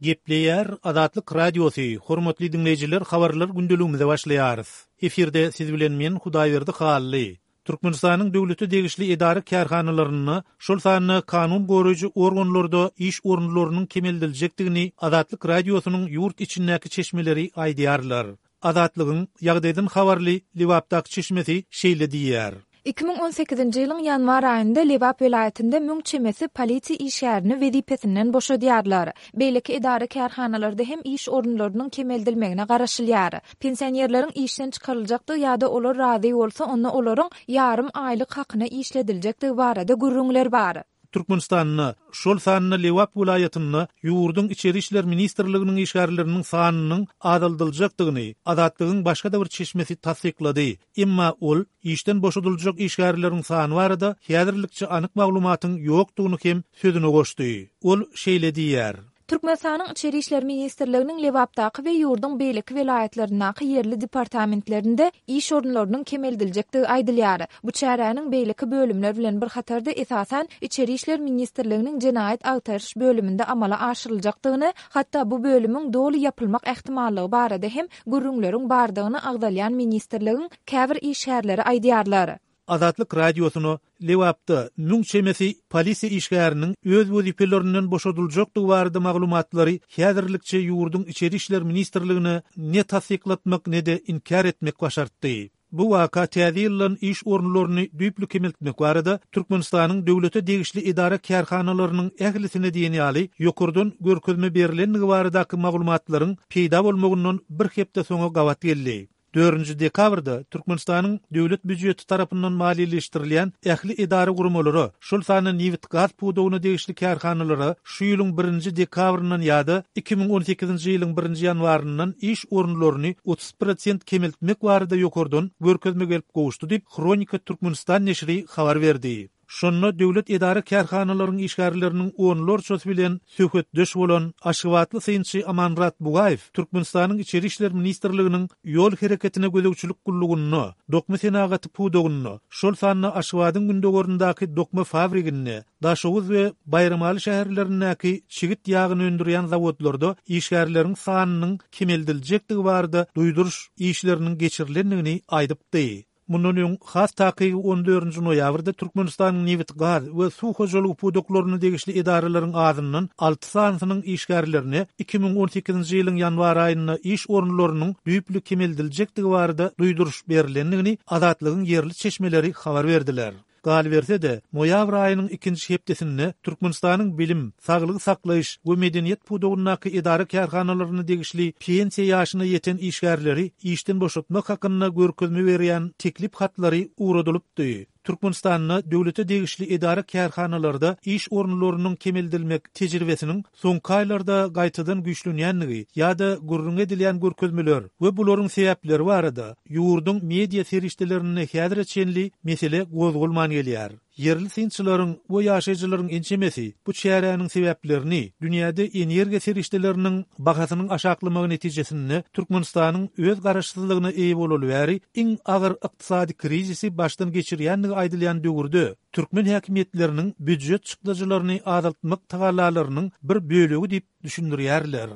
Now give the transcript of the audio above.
Gepleýär Azatlyk Radiosy, Hormatly diňleýjiler habarlar gündeligimize başlaýarys. Efirde siz bilen men Hudaýberdi Hally. Türkmenistanyň döwlete degişli edara-kärhanalarynda, şol sanda kanun goraýjy organlarda iş orunlarynyň kemeldiljekdigini Azatlyk Radiosynyň ýurt içindäki çeşmeleri aýdýarlar. Azatlygyň ýagdaýdan habarly Lebapdaky çeşmesi şeýle diýýär. 2018-nji ýylyň ýanwar aýynda Lebap welaýatynda müň çemesi polisiýa işgärini wezipesinden boşadýarlar. Beýleki edara-kärhanalarda hem iş orunlarynyň kemeldilmegine garaşylýar. Pensionerleriň işden çykaryljakdygy ýa-da olar razy bolsa, onda olaryň ýarym aýlyk hakyna işlediljekdigi barada gürrüňler bar. Türkmenistanda, şol sanda Lebap welaýatynda ýurduň Içeri işler ministrliginiň işgärleriniň sanynyň azaldyljakdygyny Azatlygyň başga-da bir çeşmesi tassyklady. Emma ol işden boşadyljak işgärleriň sany barada häzirlikçe anyk maglumatyň ýokdugyny hem sözüne goşdy. Ol şeýle diýýär. Türkmenistanyň Içeri işler ministrliginiň Lebapdaky we ýurduň beýleki welaýatlaryndaky ýerli departamentlerinde iş orunlarynyň kemeldiljekdigi aýdylýar. Bu çäräniň beýleki bölümler bilen bir hatarda esasan Içeri işler ministrliginiň Jenaýat agtaryş bölüminde amala aşyryljakdygyny, hatda bu bölümiň doly ýapylmak ähtimallygy barada hem gürrüňleriň bardygyny agzalýan ministrligiň käbir işgärleri aýdýarlar. Azatlyk Radiosyna Lebapda müň çemesi polisiýa işgäriniň öz wezipelerinden boşadyljakdygy barada maglumatlary häzirlikçe ýurduň Içeri işler ministrligine ne tassyklatmak ne-de inkär etmek başartdy. Bu waka täze ýyldan iş orunlaryny düýpli kemeltmek barada Türkmenistanyň döwlete degişli edara-kärhanalarynyň ählisine diýen ýaly ýokardan görkezme berlendigi baradaky maglumatlaryň peýda bolmagyndan bir hepde soňa gabat geldi. Dördünji dekabrda Türkmenistanyň Döwlet býujeti tarapyndan maliýeleşdirilýän ähli edara-guramalara, şol sanda nebit-gaz pudagyna degişli kärhanalara şu ýylyň birinji dekabryndan ýa-da 2018-nji ýylyň birinji ýanwaryndan iş orunlaryny 30 prosent kemeltmek barada ýokardan görkezme gelip gowuşdy diýip, Hronika Türkmenistan neşiri habar berdi. Şonda döwlet edara-kärhanalaryň işgärleriniň onlarçasy bilen söhbetdeş bolan aşgabatly synçy Amanmyrat Bugaýew Türkmenistanyň Içeri işler ministrliginiň Ýol hereketine gözegçilik gullugynda, dokma senagaty pudagynda, şol sanda Aşgabadyň gündogaryndaky dokma fabriginde, Daşoguz we Baýramaly şäherlerindäki çigit ýagyny öndürýän zawodlarda işgärleriň sanynyň kemeldiljekdigi barada duýduryş işleriniň geçirilendigini aýdypdy. Mundan öň, has takygy on dördünji noýabrda Türkmenistanyň nebit-gaz we suw hojalygy pudaklaryna degişli edaralaryň azyndan alty sanysynyň işgärlerine 2018-nji ýylyň ýanwar aýynda iş orunlarynyň düýpli kemeldiljekdigi barada duýduryş berlendigini Azatlygyň ýerli çeşmeleri habar berdiler. Galyberse-de, noýabr aýynyň ikinji hepdesinde Türkmenistanyň bilim, saglygy saklaýyş we medeniýet pudagyndaky edara-kärhanalaryna degişli pensiýa ýaşyna ýeten işgärleri işden boşatmak hakynda görkezme berýän teklip hatlary ugradylypdy. Türkmenistanda döwlete degişli edara-kärhanalarda iş orunlarynyň kemeldilmek tejribesiniň soňky aýlarda gaýtadan güýçlenýändigi ýa-da gürrüňi edilýän görkezmeler we bularyň sebäpleri barada ýurduň media serişdelerinde häzire çenli mesele gozgalman gelýär. Ýerli synçylaryň we ýaşaýjylaryň ençemesi bu çäräniň sebäplerini dünýäde energiýa serişdeleriniň bahasynyň aşaklamagy netijesinde Türkmenistanyň öz garaşsyzlygyna eýe bolaly bäri iň agyr ykdysady krizisi başdan geçirýändigi aýdylýan döwürde türkmen häkimiýetleriniň býujet çykdajylaryny azaltmak tagallalarynyň bir bölegi diýip düşündirýärler.